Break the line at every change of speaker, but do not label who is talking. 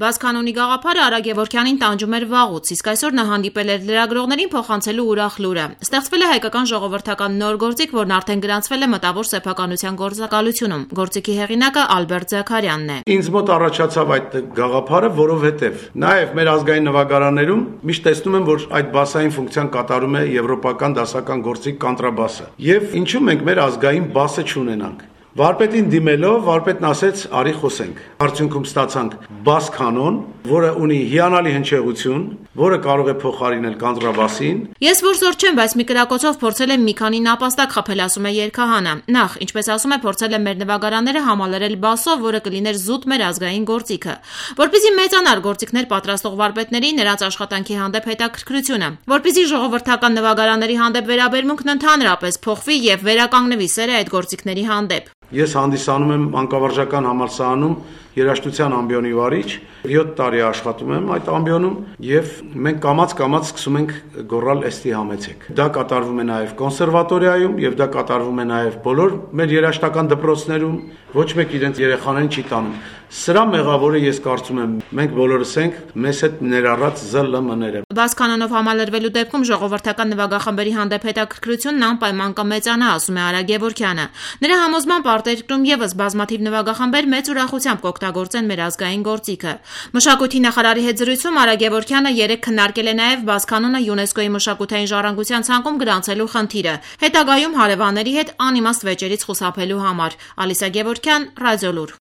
Բաց կանոնի գաղափարը Արա Գևորգյանին տանջում էր վաղուց, իսկ այսօր նա հանդիպել էր լրագրողներին փոխանցելու ուրախ լուրը։ Ստեղծվել է հայկական ժողովրդական նոր գործիք, որն արդեն գրանցվել է մտավոր սեփականության գործակալությունում։ Գործիքի հեղինակը Ալբերտ Զաքարյանն է։
Ինձ մոտ առաջացավ այդ գաղափարը, որովհետև նաև մեր ազգային նվագարաններում միշտ տեսնում եմ, որ այդ բասային ֆունկցիան կատարում է եվրոպական դասական գործիք կանտրաբասը։ Եվ ինչու մենք մեր ազգային բասը չունենանք։ Վարպետին դիմելով, վարպետն ասեց՝ արի խոսենք։ Արդյունքում ստացանք բաս կանոն, որը ունի հիանալի հնչեղություն, որը կարող է փոխարինել կանտրաբասին։
Ես որսոր չեմ, բայց մի կրակոցով փորձել եմ մի քանի նապաստակ խփել, ասում է երգահանը։ Նախ, ինչպես ասում է, փորձել եմ մեր նվագարանները համալրել բասով, որը կլիներ զուտ մեր ազգային գործիքը։ Որպեսզի մեծանար գործիքներ պատրաստող վարպետների նրանց աշխատանքի հանդեպ հետաքրքրությունը, որպեսզի ժողովրդական նվագարանների հանդեպ վերաբերմունքն ընդհանրապես փոխվի եւ վերականգնվի սերը այդ գործիքների հանդեպ։
Ես հանդիսանում եմ մանկավարժական համալսարանում երաժշտության ամբիոնի վարիչ, 7 տարի աշխատում եմ այդ ամբիոնում եւ մենք կամաց-կամաց սկսում ենք գոռալ «Էստի համեցեք»։ Դա կատարվում է նաեւ կոնսերվատորիայում եւ դա կատարվում է նաեւ բոլոր մեր երաժշտական դպրոցներում, ոչ մեկ իրենց երեխաներին չի տանում։ Սրա մեղավորը ես կարծում եմ մենք բոլորս ենք, մեզ հետ ներառած ԶԼՄ-ները։
Բաց կանոնով համալրվելու դեպքում ժողովրդական նվագախմբերի հանդեպ հետաքրքրությունն անպայման կմեծանա, ասում է Արա Գևորգյանը։ Նրա համոզմամբ արտերկրում եւս բազմաթիվ նվագախմբեր մեծ ուրախությամբ կօգտագործեն մեր ազգային գործիքը։ Մշակույթի նախարարի հետ զրույցում Արա Գևորգյանը երեկ քննարկել է նաեւ բաց կանոնը ՅՈՒՆԵՍԿՕ-ի մշակութային ժառանգության ցանկում գրանցելու խնդիրը, հետագայում հարևանների հետ անիմաստ վեճերից խուսափելու համար։ Ալիսա Գևորգյան, Ռադիոլուր։